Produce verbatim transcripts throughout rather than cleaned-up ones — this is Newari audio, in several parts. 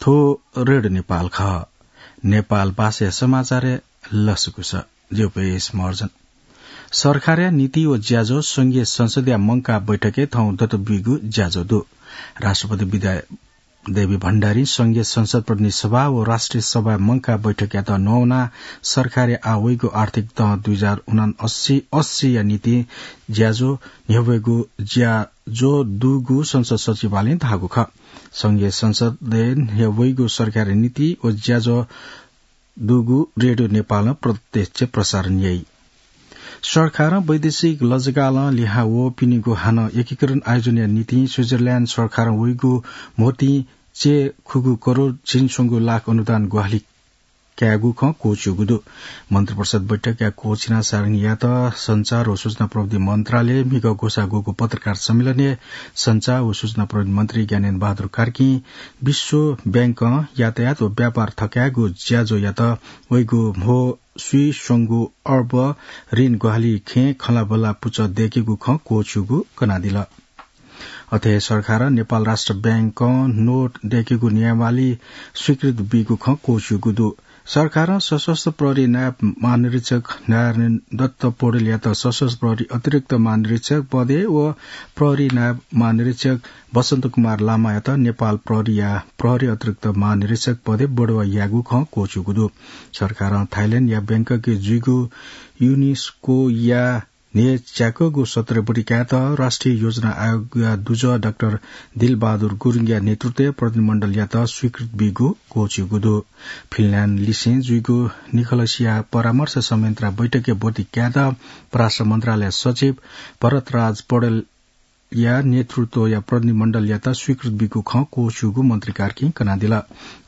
थ्व रेडियो नेपाल खः। नेपाल भाषाया समाचारय् लसकुस। ज्यू पेश महर्जन। सरकारया नीति व ज्याझ्वः संघीय संसदया मंकाः बैठकय् थौं दत ब्यूगु ज्याझ्वः दु। राष्ट्रपति विद्या देवी भण्डारीं संघीय संसद प्रतिनिधि सभा व राष्ट्रिय सभाया मंकाः बैठकयात न्ह्यावनाः सरकारया आः वइगु आर्थिक दँ दुई हजार उनासी अस्सीया निंतिं ज्याझ्वः न्ह्यब्वयेगु ज्याझ्वः दुगु संसद सचिवालयं धाःगु खः। संघीय संसदय् न्ह्यब्वइगु सरकारया नीति व ज्याझ्वः दुगु रेडियो नेपालं प्रत्यक्ष प्रसारण याइ। सरकारं वैदेशिक लजगालं लिहां वःपिनिगु हानं एकीकरण आयोजनया निंतिं स्विजरल्याण्ड सरकारं वइगु म्होतिं चय्खुगू करोड झिंस्वंगू लाख अनुदान ग्वाहालि कायेगु खँ क्वःछिउगु दु। मन्त्रिपरिषद बैठकया क्वःछिना सारणीयात सञ्चार व सूचना प्रविधि मन्त्रालयय् म्हिगः ग्वसाः ग्वःगु पत्रकार सम्मेलनय् सञ्चार व सूचना प्रविधि मन्त्री ज्ञानेन्द्र बहादुर कार्कीं विश्व बैंकं यातायात व व्यापार थकायेगु ज्याझ्वःयात वइगु म्हो स्वीस्वंगू अर्ब ऋण ग्वाहालि खँय् खँल्हाबल्हा पुचः दय्केगु खँ क्वःछिउगु कनादिल। अथे हे सरकारं नेपाल राष्ट्र बैंकं नोट दय्केगु नियमावली स्वीकृत बीगु खँ क्वःछिउगु दु। सरकारं सशस्त्र प्रहरी नायब महानिरीक्षक नारायण दत्त पौडेलयात सशस्त्र प्रहरी अतिरिक्त महानिरीक्षक पदय् व प्रहरी नायब महानिरीक्षक बसन्त कुमार लामायात नेपाल प्रहरीया प्रहरी अतिरिक्त महानिरीक्षक पदय् बढुवा याःगु खँ क्वःछिउगु दु। सरकारं थाइल्याण्डया बैंककय् जुइगु युनेस्कोया न्हय्च्याकःगु सत्र बढी कायेत राष्ट्रिय योजना आयोगया दुजः डाक्टर दिलबहादुर गुरुङया नेतृत्वय् प्रतिनिधिमण्डलयात स्वीकृत बीगु क्वःछिउगु दु। फिनल्याण्ड लिसें जुइगु निखलसया परामर्श संयन्त्रया बैठकय् ब्वति कायेत परराष्ट्र मन्त्रालय सचिव भरतराज पौडेलया नेतृत्वया प्रतिनिधिमण्डलयात स्वीकृत बीगु खँ क्वःछिउगु मन्त्री कार्कीं कनादिल।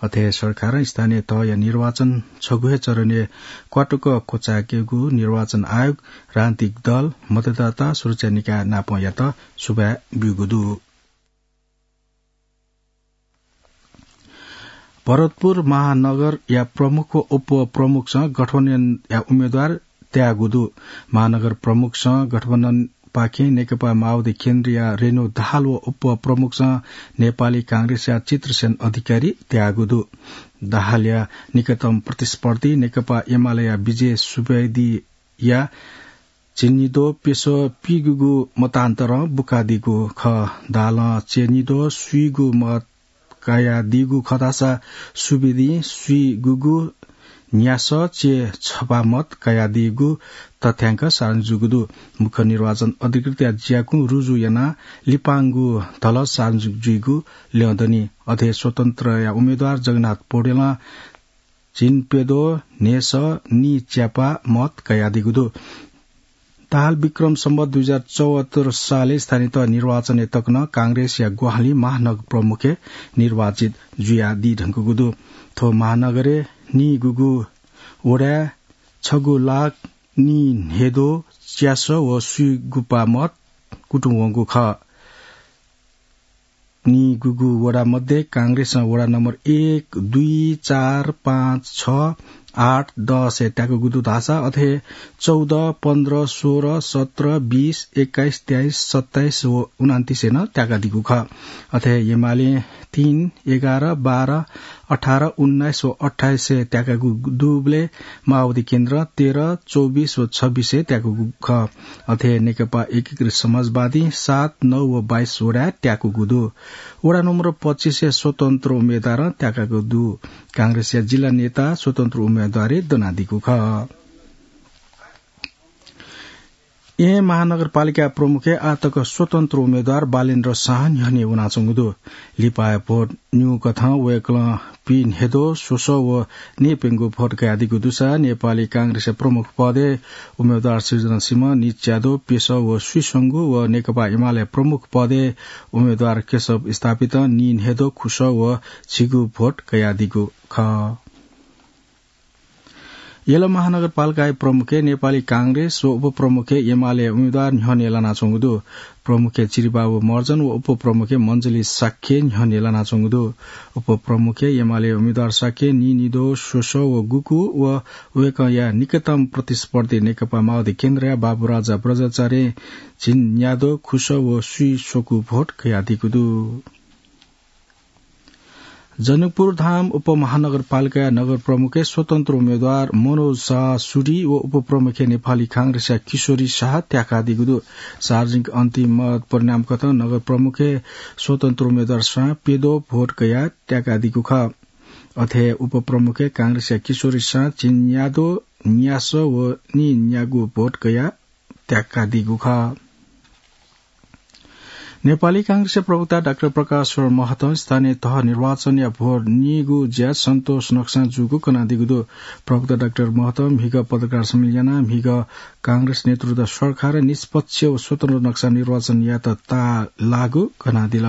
अथे हे सरकारं स्थानीय तहया निर्वाचन छगू हे चरणय् क्वातुक क्वचायेकेगु निर्वाचन आयोग, राजनीतिक दल, मतदाता सुरक्षा निकाय नापंयात सुभाय् ब्यूगु दु। भरतपुर महानगरया प्रमुख व उपप्रमुखसं गठबन्धनया उम्मेद्वार त्याःगु दु। महानगर प्रमुखसं गठबन्धनपाखें नेकपा माओवादी केन्द्रया रेणु दाहाल व उपप्रमुखसं नेपाली कांग्रेसया चित्रसेन अधिकारी त्याःगु दु। दाहालया निकटतम प्रतिस्पर्धी नेकपा एमालेया विजय सुवेदीया झिंनिद्वः प्यसः पीगुगु मतान्तरं बुकादीगु खः। दाहालं चय्निद्वः स्वीगू मत कयादीगु खः धाःसा सुवेदीं स्वीगुगु न्यासः चय्छपा मत कयादीगु तथ्यांक सार्वजनिक जूगु दु। मुख्य निर्वाचन अधिकृतया ज्याकुँ रुजु यानाः लिपांगु धलः सार्वजनिक जुइगु ल्यं दनि। अथे स्वतन्त्रया उम्मेद्वार जगन्नाथ पौडेलं झिंप्यद्वः न्हय्सः नीच्यापा मत कयादीगु दु। दाहाल विक्रम सम्वत दुई हजार चौहत्तर सालय् स्थानीय तह निर्वाचनय् तक नं कांग्रेसया ग्वाहालिं महानगर प्रमुखय् निर्वाचित जुयादी धुंकूगु दु। थ्व महानगरय् नीगुगु वडाय् छगू लाख नीन्हय्द्वः च्यासः व स्वीगुपा मत कुतुं वंगु खः। नीगुगु वडा मध्ये कांग्रेसं वडा नम्बर एक, दुई, चार, पाँच, छ, आठ, दसय् त्याकूगु दु धाःसा अथे चौध, पन्ध्र, सोह्र, सत्र, बीस, एक्काइस, तेइस, सत्ताइस व उनान्तिसय् नं त्याकादीगु खः। अथे एमालें तीन, एघार, बाह्र, अठार, उन्नाइस व अट्ठाइसय् त्याकागु दुबलय् माओवादी केन्द्रं तेह्र, चौबिस व छब्बिसय् त्याकूगु खः। अथे नेकपा एकीकृत समाजवादीं सात, नौ व बाइस वडाय् त्याकूगु दु। वडा नम्बर पच्चिसय् स्वतन्त्र उम्मेद्वारं त्याकागु दु। कांग्रेसया जिल्ला नेता स्वतन्त्र उम्मेद्वारय् दनादीगु खः। येँ महानगरपालिका प्रमुखय् आःतक स्वतन्त्र उम्मेद्वार बालेन्द्र साह न्ह्यःने वनाच्वंगु दु। लिपाया भोट न्यू कथं वय्कलं पीन्हय्द्वः स्वसः व नीप्यंगू भोट कयादीगु दुसा नेपाली कांग्रेसया प्रमुख पदय् उम्मेद्वार सृजना सिंह नीच्याद्वः प्यसः व स्वीस्वंगू व नेकपा एमाले प्रमुख पदय् उम्मेद्वार केशव स्थापितं नीन्हय्द्वः खुसः व झिगू भोट कयादीगु खः। यल महानगरपालिकाया प्रमुखय् नेपाली कांग्रेस व उपप्रमुखय् एमाले उम्मेद्वार न्ह्यःने लानाच्वंगु दु। प्रमुखय् चिरिबाबु महर्जन व उपप्रमुखय् मञ्जुली शाक्य न्ह्यःने लानाच्वंगु दु। उपप्रमुखय् एमाले उम्मेद्वार शाक्य नीनिद्वः स्वसः व गुगु व वय्कःया निकटतम प्रतिस्पर्धी नेकपा माओवादी केन्द्रया बाबुराजा बज्राचार्यं झिंन्याद्वः खुसः व स्वीस्वकू भोट कयादीगु दु। जनकपुर धाम उपमहानगरपालिकाया नगर प्रमुखय् स्वतन्त्र उम्मेद्वार मनोज शाह सुडी व उपप्रमुखय् नेपाली कांग्रेसया किशोरी शाह त्याकादीगु दु। सार्वजनिक अन्तिम मत परिणामकथं नगर प्रमुखय् स्वतन्त्र उम्मेद्वार शाह प्यद्वः भोट कयाः त्याकादीगु खः। अथे उपप्रमुखय् कांग्रेसया किशोरी शाह चिन्याद्वः न्यासः व नीन्यागू भोट कयाः त्याकादीगु खः। नेपाली कांग्रेसया प्रवक्ता डाक्टर प्रकाश महतं स्थानीय तह निर्वाचनया भोट नीगु ज्या सन्तोषजनक जूगु कनादीगु दु। प्रवक्ता डाक्टर महतं म्हिगः पत्रकार सम्मेलन यानाः म्हिगः कांग्रेस नेतृत्वया सरकार निष्पक्ष व स्वतन्त्र नक्सां निर्वाचन यायेत ताःलाःगु कनादिल।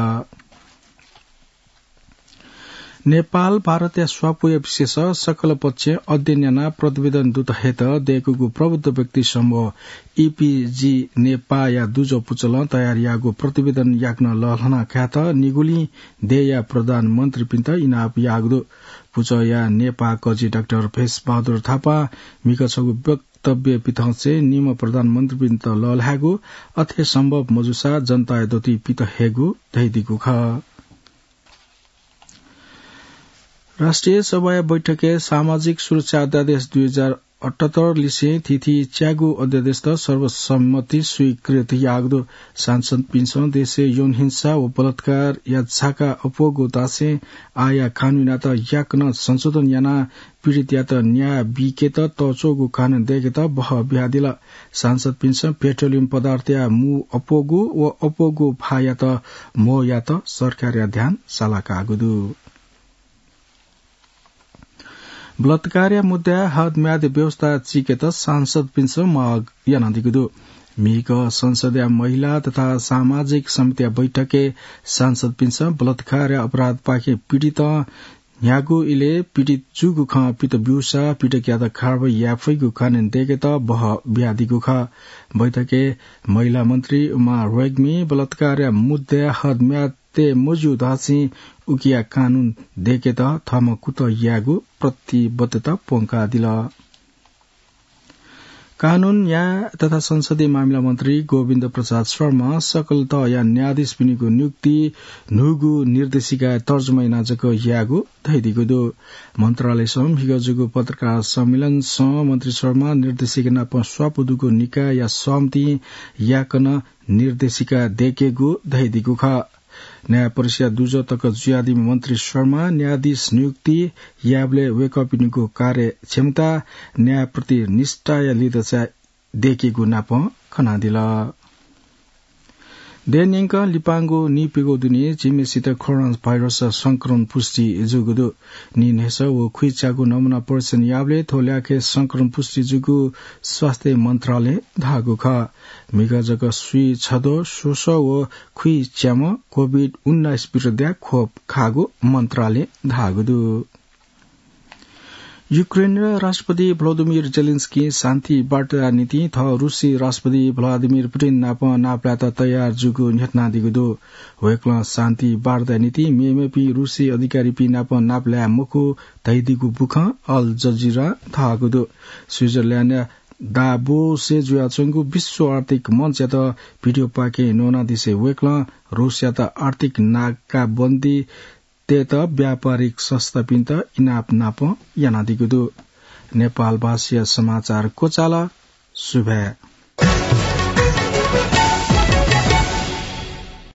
नेपाल भारतया स्वापूया विषयस सकल पक्षं अध्ययन यानाः प्रतिवेदन दुत हयेत दय्कूगु प्रबुद्ध व्यक्ति समूह ईपीजी नेपाःया दुजः पुचलं तयार याःगु प्रतिवेदन याकनं लःल्हाना कायेत निगुलिं देय्‌या प्रधानमन्त्रीपिन्त इनाप याःगु दु। पुचःया नेपाः कजि डाक्टर भेषबहादुर थापां म्हिगः छगू वक्तव्य पिथंसे निम्ह प्रधानमन्त्रीपिन्त लःल्हायेगु, अथे सम्भव मजूसा जनताया दथुइ पित हयेगु धयादीगु खः। राष्ट्रिय सभाया बैठकय् सामाजिक सुरक्षा अध्यादेश दुई हजार अठहत्तर लिसें थीथी च्यागू अध्यादेशत सर्वसम्मति स्वीकृत याःगु दु। सांसदपिन्सं देशय् यौन हिंसा व बलात्कारया झाका अप्वःगु धासें आःया कानूनयात याकनं संशोधन यानाः पीडितयात न्याय बीकेत तःच्वःगु कानून दय्केत बहः बियादिल। सांसदपिन्सं पेट्रोलियम पदार्थया मू अप्वःगु व अप्वःगु भाःयात म्हो यायेत सरकारया ध्यान सालाकाःगु दु। बलात्कारया मुद्दाय् हदम्यादया व्यवस्था चीकेत सांसदपिन्सं माग यानादीगु दु। म्हिगः संसदया महिला तथा सामाजिक समितिया बैठकय् सांसदपिन्सं बलात्कारया अपराधपाखें पीडितं न्ह्यागु इलय् पीडित जूगु खँ पित ब्यूसा पीडितयात कारवाही याये फइगु कानून दय्केत बहः बियादीगु खः। बैठकय् महिला मन्त्री उमा रेग्मी बलात्कारया मुद्दाय् हदम्याद तये मज्यू धासें उकिया कानून दय्केत थःम्हं कुतः यायेगु प्रतिबद्धता प्वंकादिल। कानून, न्याय तथा संसदीय मामिला मन्त्री गोविन्द प्रसाद शर्मां सकल तहया न्यायाधीशपिनिगु नियुक्ति न्हूगु निर्देशिकाय् तर्जुमा यानाः जक यायेगु धयादीगु दु। मन्त्रालयसं म्हिगः जूगु पत्रकार सम्मेलनसं मन्त्री शर्मां निर्देशिका नाप स्वापू दुगु निकायया सहमतिं याकनं निर्देशिका दय्केगु धयादीगु खः। न्याय परिषदया दुजः तक जुयादीम्ह मन्त्री शर्मां न्यायाधीश नियुक्ति यायेबलय् वय्कःपिनिगु कार्यक्षमता, न्यायप्रति निष्ठाया लिधंचाय् दय्केगु नाप कनादिल। देय् न्यंकं लिपांगु नीप्यघौ दुने झिम्हेसित कोरोना भाइरस संक्रमण पुष्टि जूगु दु। नीन्हय्सः व खुइच्यागु नमूना परीक्षण याःबलय् थ्व ल्याखय् संक्रमण पुष्टि जूगु स्वास्थ्य मन्त्रालयं धाःगु खः। म्हिगः जक स्वीछद्वः स्वसः व खुइच्याम्ह कोभिड उन्नाइस विरुद्धया खोप खाःगु मन्त्रालयं धाःगु दु। युक्रेनया राष्ट्रपति भ्लोदिमिर जेलेन्स्कीं शान्ति वार्ताया निंतिं थः रुसी राष्ट्रपति भ्लादिमिर पुतिन नाप नापलायेत तयार जूगु न्ह्यथनादीगु दु। वय्कलं शान्ति वार्ताया निंतिं मेमेपिं रुसी अधिकारीपिं नाप नापलाये मखु धयादीगु बुखँ अल जजिरां धाःगु दु। स्विजरल्याण्डया दाभोसय् जुयाच्वंगु विश्व आर्थिक मञ्चयात भिडियोपाखें न्वनादिसे वय्कलं रुसयात आर्थिक नाकाबन्दी तयेत व्यापारिक संस्थापिन्त इनाप नाप यानादीगु दु। नेपालभाषाया समाचार क्वचाल। सुभाय्।